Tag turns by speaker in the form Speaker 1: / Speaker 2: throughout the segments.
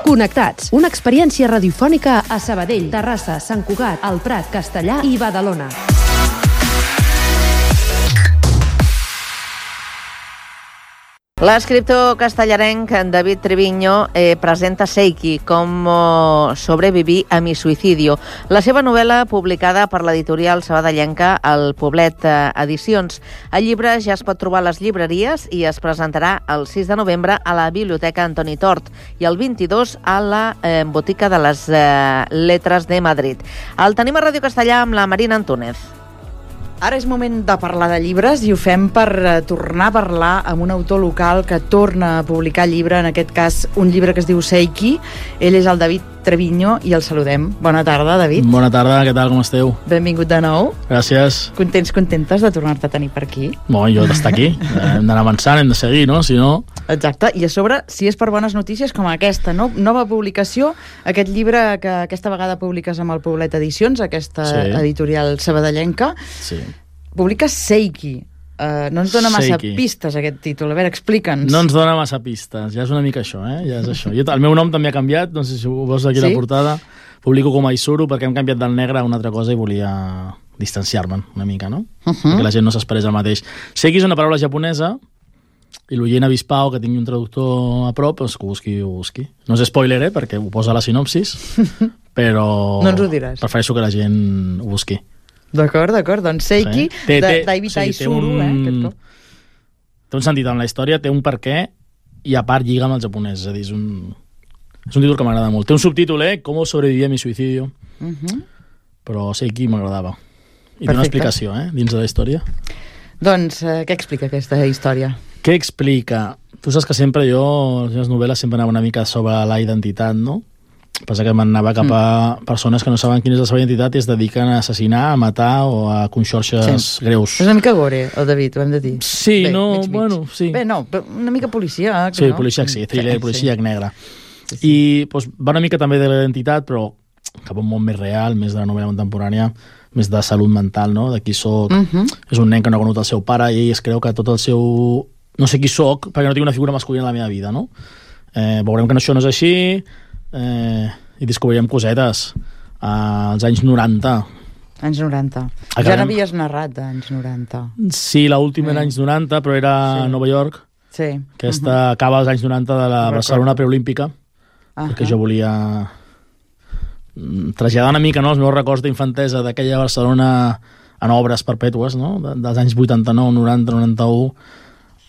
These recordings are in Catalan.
Speaker 1: Connectats, una experiència radiofònica a Sabadell, Terrassa, Sant Cugat, El Prat, Castellar i Badalona.
Speaker 2: L'escriptor castellarenc David Treviño presenta Seiki, com sobreviví a mi suicidio. La seva novel·la, publicada per l'editorial sabadellenca El Poblet Edicions. El llibre ja es pot trobar a les llibreries i es presentarà el 6 de novembre a la Biblioteca Antoni Tort i el 22 a la Botica de les Letres de Madrid. El tenim a Ràdio Castellà amb la Marina Antúnez.
Speaker 3: Ara és moment de parlar de llibres i ho fem per tornar a parlar amb un autor local que torna a publicar llibre, en aquest cas un llibre que es diu Seiki. Ell és el David Treviño i el saludem. Bona tarda, David.
Speaker 4: Bona tarda, què tal, com esteu?
Speaker 3: Benvingut de nou.
Speaker 4: Gràcies.
Speaker 3: Contentes de tornar-te a tenir per aquí?
Speaker 4: Bon, jo d'estar aquí. Hem d'anar avançant, hem de seguir, no? Si no...
Speaker 3: Exacte, i a sobre, si és per bones notícies com aquesta, no? Nova publicació, aquest llibre que aquesta vegada publiques amb el Poblet Edicions, aquesta editorial sabadellenca.
Speaker 4: Sí.
Speaker 3: Publiques Seiki. No ens dona massa pistes aquest títol. A veure, explica'ns.
Speaker 4: No ens dona massa pistes, ja és una mica això, ja és això. El meu nom també ha canviat, no sé si ho veus aquí a la portada. Publico com a Isuru perquè hem canviat del negre a una altra cosa i volia distanciar-me'n una mica, no? Perquè la gent no s'esperés el mateix. Seiki és una paraula japonesa i l'oient avispau, que tingui un traductor a prop, doncs que ho busqui. No és spoiler, perquè ho posa a la sinopsis, però
Speaker 3: no ens ho diràs.
Speaker 4: Prefereixo que la gent ho busqui.
Speaker 3: D'acord, doncs Seiki, David Isuru, aquest cop.
Speaker 4: Té un sentit en la història, té un per què, i a part lliga amb el japonès, és a dir, és un títol que m'agrada molt. Té un subtítol, Com sobreviví a mi suicidio, però Seiki m'agradava. I té una explicació, dins de la història.
Speaker 3: Doncs, què explica aquesta història?
Speaker 4: Què explica? Tu saps que sempre les meves novel·les sempre anaven una mica sobre la identitat, no? Passa que m'anava cap a persones que no saben quina és la seva identitat i es dediquen a assassinar, a matar o a conxorxes greus.
Speaker 3: És una mica gore, el David, ho hem de dir.
Speaker 4: Sí, sí.
Speaker 3: Bé, no, una mica policíac.
Speaker 4: Sí, policíac, sí, thriller, policíac negre. I va una mica també de l'identitat, però cap a un món més real, més de la novel·la contemporània, més de salut mental, no? De qui soc. És un nen que no ha conegut el seu pare i ell es creu que tot el seu... No sé qui soc, perquè no tinc una figura masculina a la meva vida, no? Veurem que això no és així... i descobrirem cosetes als anys 90.
Speaker 3: Anys 90. Ja n'havies narrat anys 90.
Speaker 4: Sí, l'última era anys 90, però era a Nova York.
Speaker 3: Sí.
Speaker 4: Aquesta acaba als anys 90 de la Barcelona preolímpica, perquè jo volia traslladar una mica els meus records d'infantesa d'aquella Barcelona en obres perpètues, no? Dels anys 89, 90, 91,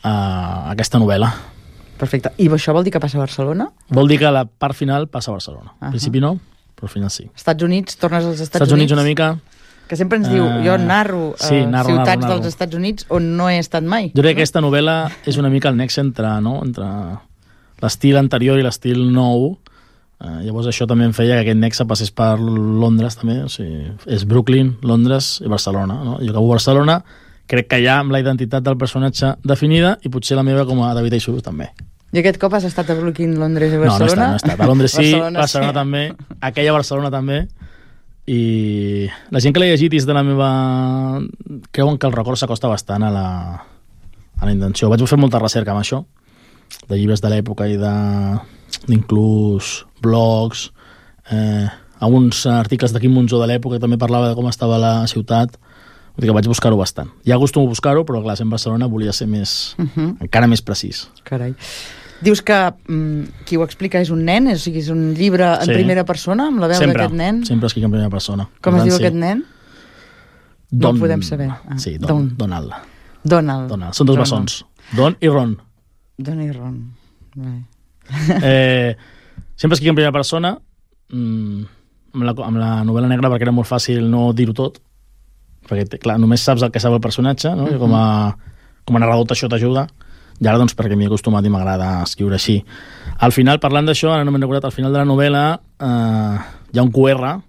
Speaker 4: a aquesta novel·la.
Speaker 3: Perfecte. I això vol dir que passa a Barcelona?
Speaker 4: Vol dir que la part final passa a Barcelona. Al principi no, però al final sí.
Speaker 3: Estats Units, tornes als Estats Units
Speaker 4: una mica.
Speaker 3: Que sempre ens diu, jo narro ciutats dels Estats Units on no he estat mai.
Speaker 4: Jo crec que aquesta novel·la és una mica el nexe entre l'estil anterior i l'estil nou. Llavors això també em feia que aquest nexe passés per Londres també. O sigui, és Brooklyn, Londres i Barcelona. No? Jo acabo a Barcelona, crec que ja amb la identitat del personatge definida i potser la meva com a David Isuru també.
Speaker 3: I aquest cop has estat a Brooklyn, Londres i Barcelona?
Speaker 4: No he estat. A Londres sí, Barcelona també, aquella Barcelona també, i la gent que l'ha llegit és de la meva... creuen que el record s'acosta bastant a la intenció. Vaig fer molta recerca amb això, de llibres de l'època i d'inclús blogs, alguns articles de Quim Monzó de l'època que també parlava de com estava la ciutat. Vull dir que vaig buscar-ho bastant. Ja acostumo a buscar-ho, però clar, en Barcelona volia ser encara més precís.
Speaker 3: Carai. Dius que qui ho explica és un nen? O sigui, és un llibre en primera persona, amb la veu d'aquest nen?
Speaker 4: Sempre escric en primera persona.
Speaker 3: Com es diu aquest nen? No ho podem saber.
Speaker 4: Sí, Donald.
Speaker 3: Donald.
Speaker 4: Són dos bessons. Don i Ron.
Speaker 3: Don i Ron.
Speaker 4: Sempre escric en primera persona, amb la novel·la negra, perquè era molt fàcil no dir-ho tot, perquè clar, només saps el que sap el personatge, no? I com a narrador això t'ajuda, i ara doncs perquè m'he acostumat i m'agrada escriure així. Al final, parlant d'això, ara no m'he recordat, al final de la novel·la hi ha un QR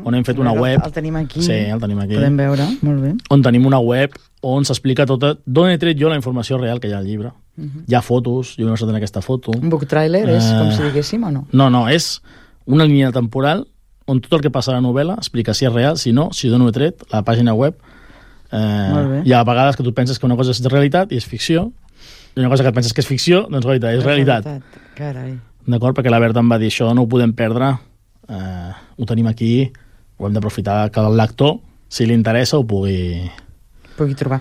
Speaker 4: on hem fet una web.
Speaker 3: El tenim aquí.
Speaker 4: Sí, el tenim aquí.
Speaker 3: Podem veure, molt bé.
Speaker 4: On tenim una web on s'explica tot d'on he tret jo la informació real que hi ha al llibre. Hi ha fotos, jo no sé tenir aquesta foto.
Speaker 3: Un book trailer és com si diguéssim o no?
Speaker 4: No, és una línia temporal on tot el que passa a la novel·la explica si és real, si no, si d'on ho he tret, la pàgina web. Hi ha vegades que tu penses que una cosa és realitat i és ficció, i una cosa que et penses que és ficció, doncs és realitat.
Speaker 3: Carai.
Speaker 4: d'acord? Perquè la Berta em va dir això, no ho podem perdre, ho tenim aquí, ho hem d'aprofitar que el lector, si li interessa, ho pugui
Speaker 3: trobar.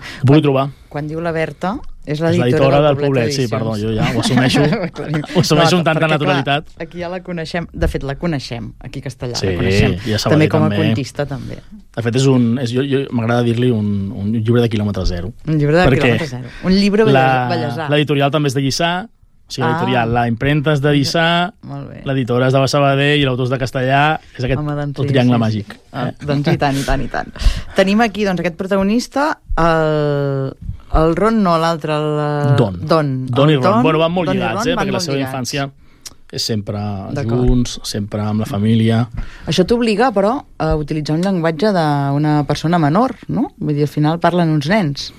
Speaker 3: Quan diu la Berta, és
Speaker 4: l'editora del Poblet, sí, perdó, jo ja ho assumeixo, amb tanta naturalitat.
Speaker 3: Clar, aquí ja la coneixem, de fet la coneixem, aquí a Castellà,
Speaker 4: sí,
Speaker 3: la coneixem,
Speaker 4: ja
Speaker 3: també com a contista també.
Speaker 4: De fet, m'agrada dir-li un llibre de quilòmetre zero.
Speaker 3: Un llibre de quilòmetre zero. Un llibre ballesà.
Speaker 4: L'editorial també és de Lliçà, o sigui, l'editorial, la impremta és de Lliçà, l'editora és de Sabadell i l'autor és de Castellà, és aquest el triangle màgic.
Speaker 3: Doncs i tant. Tenim aquí aquest protagonista, el Ron, no, l'altre, el
Speaker 4: Don i Ron. Bueno, van molt lligats, perquè la seva infància és sempre junts, sempre amb la família.
Speaker 3: Això t'obliga, però, a utilitzar un llenguatge d'una persona menor, no? Vull dir, al final parlen uns nens.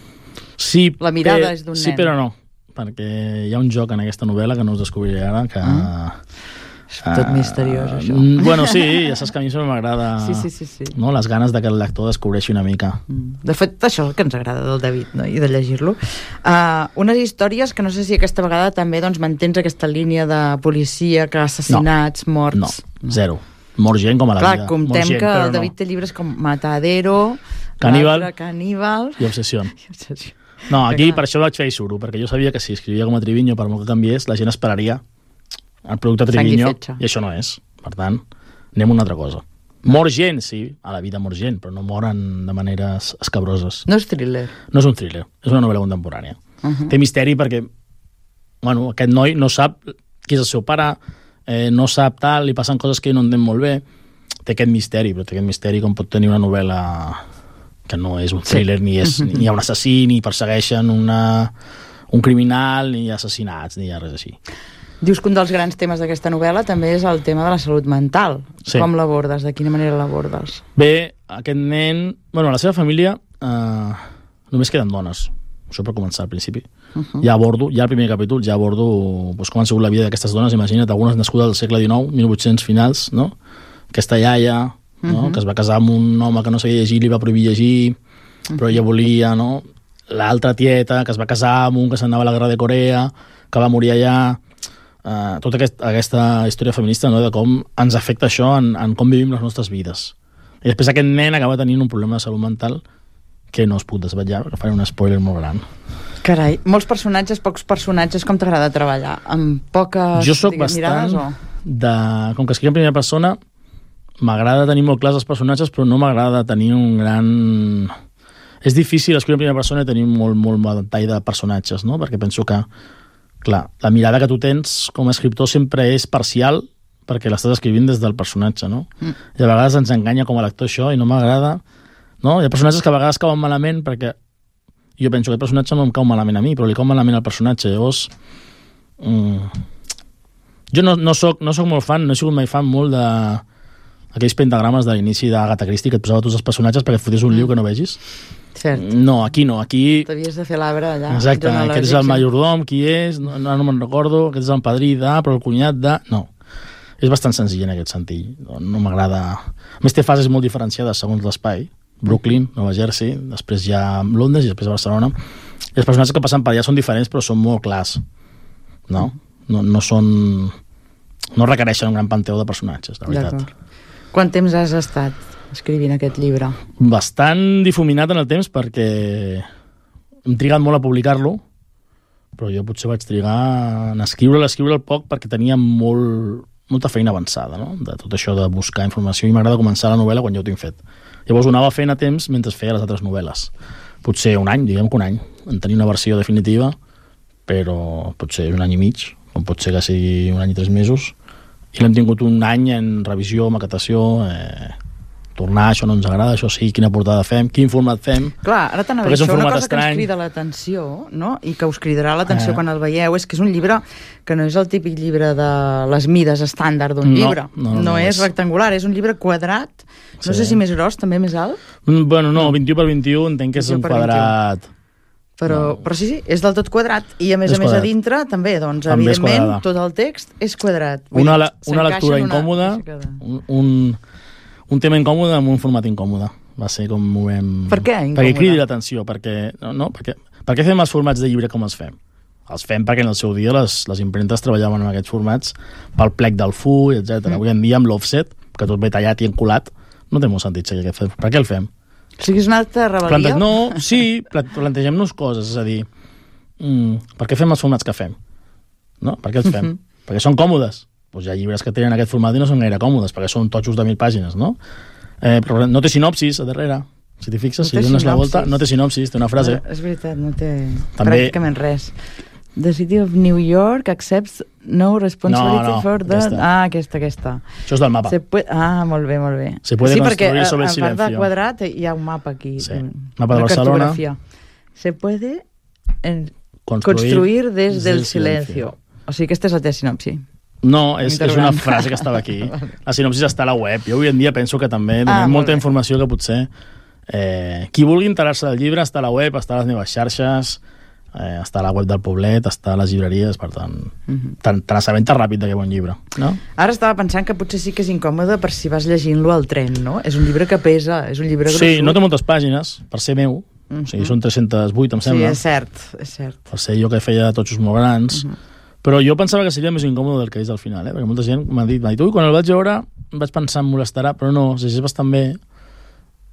Speaker 4: Sí,
Speaker 3: la mirada és d'un nen.
Speaker 4: Sí, però no, perquè hi ha un joc en aquesta novel·la que no us descobriré ara, que...
Speaker 3: És tot misteriós, això.
Speaker 4: Bueno, sí, ja saps que a mi sempre m'agrada no? Les ganes que el lector descobreixi una mica.
Speaker 3: De fet, això és el que ens agrada del David, no? I de llegir-lo. Unes històries que no sé si aquesta vegada també mantens aquesta línia de policia, que assassinats, morts...
Speaker 4: No, zero. Mor gent com a la vida.
Speaker 3: Clar, comptem que el David té llibres com Matadero,
Speaker 4: Caníbal
Speaker 3: i
Speaker 4: Obsessió. No, aquí per això vaig fer Isuru, perquè jo sabia que si escrivia com a Triviño, per molt que canviés, la gent esperaria el producte Triviño, i això no és. Per tant, anem a una altra cosa. Mor gent, sí, a la vida mor gent, però no moren de maneres escabroses.
Speaker 3: No és thriller.
Speaker 4: No és un thriller, és una novel·la contemporània. Té misteri perquè, bueno, aquest noi no sap qui és el seu pare, no sap tal, li passen coses que no entén molt bé. Té aquest misteri, però té aquest misteri com pot tenir una novel·la que no és un thriller, ni hi ha un assassí, ni persegueixen un criminal, ni hi ha assassinats, ni hi ha res així.
Speaker 3: Dius que un dels grans temes d'aquesta novel·la també és el tema de la salut mental. Sí. Com l'abordes? De quina manera l'abordes?
Speaker 4: Bé, aquest nen... Bueno, a la seva família només queden dones. Això per començar al principi. Ja abordo, ja al primer capítol, ja abordo com ha sigut la vida d'aquestes dones. Imagina't, algunes nascudes al segle XIX, 1800 finals, no? Aquesta iaia, no? Que es va casar amb un home que no sabia llegir, li va prohibir llegir, però ella volia, no? L'altra tieta, que es va casar amb un que s'anava a la guerra de Corea, que va morir allà... tota aquesta història feminista, no? De com ens afecta això en com vivim les nostres vides. I després aquest nen acaba tenint un problema de salut mental que no es puc desvetllar, perquè faré un spoiler molt gran.
Speaker 3: Carai, molts personatges, pocs personatges, com t'agrada treballar? Amb poques
Speaker 4: jo soc bastant mirades, com que escric en primera persona, m'agrada tenir molt clars els personatges, però no m'agrada tenir un gran... És difícil escriure en primera persona i tenir molt detall de personatges, no? Perquè penso que clar, la mirada que tu tens com a escriptor sempre és parcial perquè l'estàs escrivint des del personatge, no? I a vegades ens enganya com a lector això i no m'agrada, no? Hi ha personatges que a vegades cauen malament perquè jo penso que el personatge no em cau malament a mi, però li cau malament al personatge. Llavors, jo no soc molt fan, no he sigut mai fan molt d'aquells pentagrames de l'inici d'Agatha Christie que et posava tots els personatges perquè et fotés un liu que no vegis.
Speaker 3: Cert.
Speaker 4: No, aquí no, aquí...
Speaker 3: T'havies de fer l'arbre allà.
Speaker 4: Exacte, aquest és el majordom, qui és, no me'n recordo, aquest és el padrí però el cunyat No, és bastant senzill en aquest sentit, no m'agrada... A més té fases molt diferenciades segons l'espai, Brooklyn, Nova Jersey, després ja Londres i després Barcelona, i els personatges que passen per allà són diferents però són molt clars, no són... no requereixen un gran panteó de personatges, la veritat.
Speaker 3: Quant temps has estat escrivint aquest llibre?
Speaker 4: Bastant difuminat en el temps perquè hem trigat molt a publicar-lo, però jo potser vaig trigar en escriure'l poc perquè tenia molta feina avançada, no? De tot això de buscar informació, i m'agrada començar la novel·la quan ja ho tinc fet. Llavors ho anava fent a temps mentre feia les altres novel·les. Potser un any, diguem que un any, en tenir una versió definitiva, però potser un any i mig, com pot ser que sigui un any i 3 mesos, i l'hem tingut un any en revisió, maquetació, tornar, això no ens agrada, això sí, quina portada fem, quin format fem.
Speaker 3: Clar, ara t'anava a dir, això una cosa que ens crida l'atenció, no? I que us cridarà l'atenció quan el veieu, és que és un llibre que no és el típic llibre de les mides estàndard d'un llibre. No és rectangular, és un llibre quadrat, no sé si més gros, també més alt.
Speaker 4: Bueno, no, 21 per 21 entenc que és un quadrat.
Speaker 3: Però sí, és del tot quadrat, i a més a dintre també, doncs, evidentment, tot el text és quadrat.
Speaker 4: Una lectura incòmoda, un tema incòmode amb un format incòmode. Va ser com ho vam...
Speaker 3: Per què incòmode?
Speaker 4: Perquè cridi l'atenció, perquè... Per què fem els formats de llibre com els fem? Els fem perquè en el seu dia les impremtes treballaven en aquests formats pel plec del full, etc. Avui en dia amb l'offset, que tot ve tallat i encolat, no té molt sentit seguir aquest fet. Per què el fem?
Speaker 3: O sigui, és una altra rebel·lia?
Speaker 4: Plantegem-nos coses, és a dir, per què fem els formats que fem? No? Per què els fem? Perquè són còmodes. Doncs hi ha llibres que tenen aquest format i no són gaire còmodes, perquè són totxos de 1.000 pàgines, no? Però no té sinopsis a darrere. Si t'hi fixes, si dones la volta, no té sinopsis, té una frase.
Speaker 3: És veritat, no té pràcticament res. The City of New York accepts no responsibility for the... Aquesta.
Speaker 4: Això és del mapa.
Speaker 3: Molt bé.
Speaker 4: Se puede construir sobre el
Speaker 3: Sí,
Speaker 4: silencio.
Speaker 3: perquè a part de quadrat hi ha un mapa aquí.
Speaker 4: Sí, mapa de Barcelona.
Speaker 3: Se puede construir des del silencio. O sigui, aquesta és la teva sinopsi.
Speaker 4: No, és una frase que estava aquí. La sinopsis està a la web. Jo avui en dia penso que també donem molta informació que potser... qui vulgui enterar-se del llibre està a la web, està a les meves xarxes, està a la web del Poblet, està a les llibreries, per tant, te n'assabentes ràpid d'aquest bon llibre, no?
Speaker 3: Ara estava pensant que potser sí que és incòmode per si vas llegint-lo al tren, no? És un llibre que pesa, és un llibre gruixut.
Speaker 4: Sí, no té moltes pàgines, per ser meu, o sigui, són 308, em sembla.
Speaker 3: Sí, és cert.
Speaker 4: Per ser jo que feia totxos molt grans, però jo pensava que seria més incòmode del que és al final, perquè molta gent m'ha dit, ui, quan el vaig veure vaig pensar em molestarà, però no, es llegeix bastant bé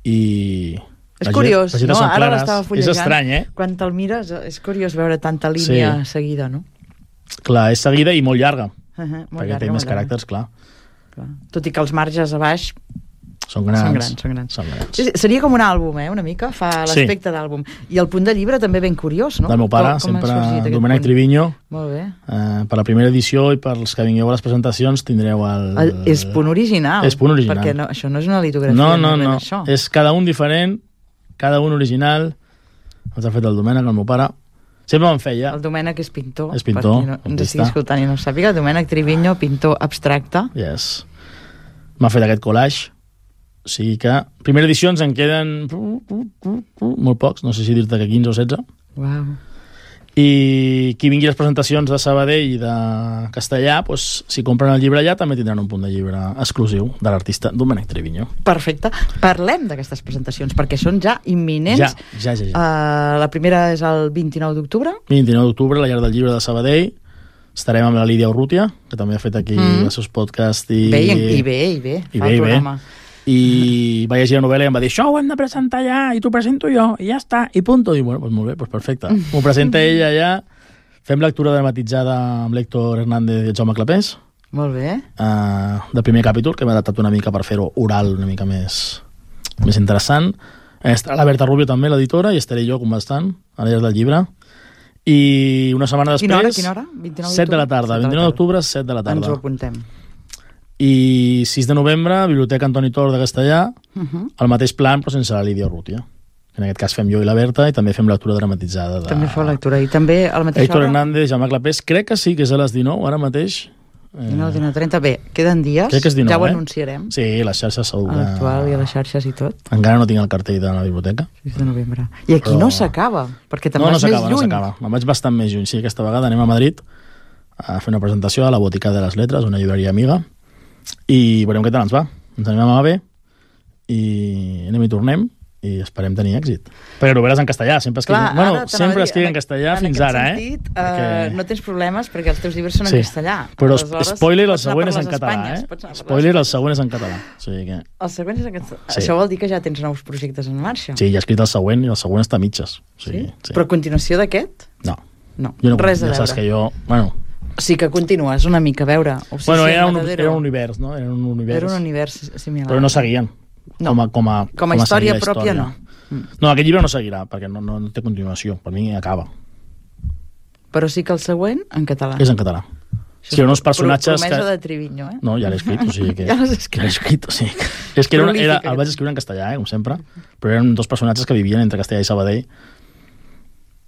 Speaker 4: i...
Speaker 3: És curiós, no? Ara l'estava fullejant.
Speaker 4: És estrany,
Speaker 3: Quan te'l mires, és curiós veure tanta línia seguida, no?
Speaker 4: Clar, és seguida i molt llarga,
Speaker 3: molt
Speaker 4: perquè
Speaker 3: llarga,
Speaker 4: té més caràcters, clar.
Speaker 3: Tot i que els marges a baix
Speaker 4: són grans.
Speaker 3: Sí, seria com un àlbum, una mica, fa l'aspecte d'àlbum. I el punt de llibre també ben curiós, no?
Speaker 4: Del meu pare, sempre Domènec Triviño.
Speaker 3: Molt bé.
Speaker 4: Per la primera edició i per els que vingueu a les presentacions tindreu el...
Speaker 3: És punt original.
Speaker 4: És punt original.
Speaker 3: Perquè això no és una litografia.
Speaker 4: No. És cada un diferent, cada un original. Els ha fet el Domènec, el meu pare. Sempre me'n feia.
Speaker 3: El Domènec és pintor.
Speaker 4: És pintor.
Speaker 3: Per qui ens estigui escoltant i no sàpiga. Domènec Triviño, pintor abstracte.
Speaker 4: Yes. M'ha fet aquest collage. O sigui que, primera edició ens en queden molt pocs, no sé si dir-te que 15 o 16.
Speaker 3: Uau.
Speaker 4: I qui vingui a les presentacions de Sabadell i de Castellà, doncs, si compren el llibre allà, també tindran un punt de llibre exclusiu de l'artista Domènec Triviño.
Speaker 3: Perfecte. Parlem d'aquestes presentacions, perquè són ja imminents.
Speaker 4: Ja.
Speaker 3: La primera és el 29 d'octubre.
Speaker 4: 29 d'octubre, a la Llar del Llibre de Sabadell. Estarem amb la Lídia Urrutia, que també ha fet aquí els seus podcasts.
Speaker 3: I bé. Fa el programa.
Speaker 4: I va llegir la novel·la i em va dir això ho hem de presentar allà, i t'ho presento jo, i ja està, i punto. I bueno, doncs molt bé, doncs perfecte. M'ho presenta ella allà, fem lectura dramatitzada amb l'Héctor Hernández i el Jaume Clapés.
Speaker 3: Molt bé.
Speaker 4: Del primer capítol, que m'ha adaptat una mica per fer-ho oral, una mica més interessant. Estarà la Berta Rubio també, l'editora, i estaré jo conversant a la Llar del Llibre. I una setmana després...
Speaker 3: Quina hora?
Speaker 4: 7 de la tarda. 29 d'octubre, 7 de la tarda.
Speaker 3: Ens ho apuntem.
Speaker 4: I 6 de novembre, Biblioteca Antoni Tor de Castellà, el mateix plan, però sense la Lídia Urrutia. En aquest cas fem jo i la Berta, i també fem lectura dramatitzada.
Speaker 3: També feu lectura, i també a la mateixa
Speaker 4: hora? Héctor Hernández, Jaume Clapés, crec que sí, que és a les 19, ara mateix.
Speaker 3: 19:30, bé, queden dies,
Speaker 4: crec que és 19,
Speaker 3: ja ho anunciarem.
Speaker 4: Sí, les xarxes segur que...
Speaker 3: A l'actual i a les xarxes i tot.
Speaker 4: Encara no tinc el cartell de la biblioteca.
Speaker 3: 6 de novembre. I aquí no s'acaba, perquè te'n vas més lluny.
Speaker 4: No s'acaba. Me'n vaig bastant més lluny. Sí, aquesta vegada anem a Madrid a fer una presentació a la Botica de les Letres, una llibreria amiga, i veurem què tal ens va. Ens anem a bé i anem i tornem i esperem tenir èxit. Perquè novel·les en castellà, sempre escric en castellà fins ara,
Speaker 3: sentit, no tens problemes perquè els teus llibres són en castellà.
Speaker 4: Però spoiler, el següent és en català, Spoiler, el següent és en català.
Speaker 3: El següent és en català. Això vol dir que ja tens nous projectes en marxa?
Speaker 4: Sí, ja he escrit el següent i el següent està a mitges.
Speaker 3: Sí? Però a continuació d'aquest?
Speaker 4: No.
Speaker 3: Res a veure.
Speaker 4: Ja saps que jo...
Speaker 3: Sí que continues una mica a veure.
Speaker 4: Era un univers, no? Era un
Speaker 3: univers similar.
Speaker 4: Però no seguien. Com a
Speaker 3: història pròpia, no.
Speaker 4: No, aquest llibre no seguirà, perquè no té continuació. Per mi acaba.
Speaker 3: Però sí que el següent, en català.
Speaker 4: És en català. Sí, eren uns personatges...
Speaker 3: Promesa de Triviño,
Speaker 4: No, ja l'he escrit, o sigui que...
Speaker 3: Ja l'has escrit.
Speaker 4: És que el vaig escriure en castellà, com sempre, però eren dos personatges que vivien entre Castellà i Sabadell,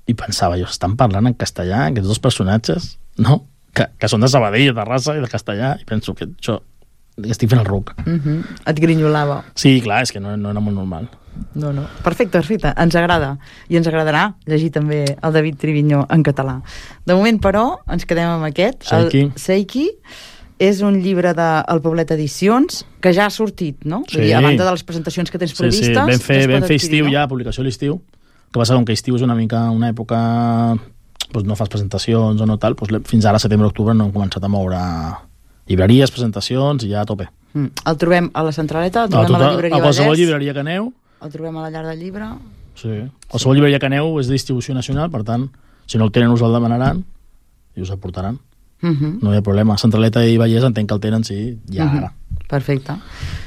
Speaker 4: i pensava, estan parlant en castellà, aquests dos personatges, no? Que són de Sabadell, de Terrassa i de Castellà, i penso que això estic fent el ruc.
Speaker 3: Et grinyolava.
Speaker 4: Sí, clar, és que no era molt normal.
Speaker 3: No. Perfecte. Ens agrada. I ens agradarà llegir també el David Triviño en català. De moment, però, ens quedem amb aquest. Seiki. És un llibre del Poblet Edicions, que ja ha sortit, no?
Speaker 4: Sí.
Speaker 3: A banda de les presentacions que tens previstes...
Speaker 4: Sí, vam fer estiu ja, publicació a l'estiu. El que passa com que estiu és una mica una època no fas presentacions o no tal, fins ara, setembre-octubre, no hem començat a moure llibreries, presentacions i ja a tope.
Speaker 3: El trobem a la Centraleta, el trobem a la llibreria
Speaker 4: Vallès. A qualsevol llibreria que aneu.
Speaker 3: El trobem a la Llar del Llibre.
Speaker 4: Sí. Qualsevol llibreria que aneu és de distribució nacional, per tant, si no el tenen us el demanaran i us el portaran. No hi ha problema. Centraleta i Vallès entenc que el tenen, sí, ja ara.
Speaker 3: Perfecte.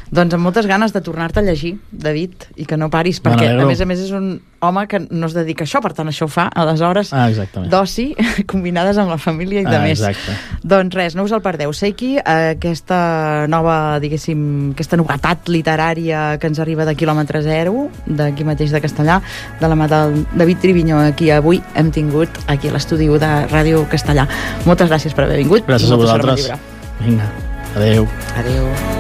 Speaker 3: Doncs amb moltes ganes de tornar-te a llegir, David, i que no paris, perquè a més és un home que no es dedica a això, per tant això ho fa a les hores d'oci combinades amb la família i de més.
Speaker 4: Exacte.
Speaker 3: Doncs res, no us el perdeu. Seiki, aquesta nova, diguéssim, aquesta novetat literària que ens arriba de quilòmetre zero, d'aquí mateix de Castellà, de la mà del David Triviño, aquí avui hem tingut aquí a l'estudi de Ràdio Castellà. Moltes gràcies per haver vingut.
Speaker 4: Gràcies a vosaltres. Vinga, adeu.
Speaker 3: Adeu.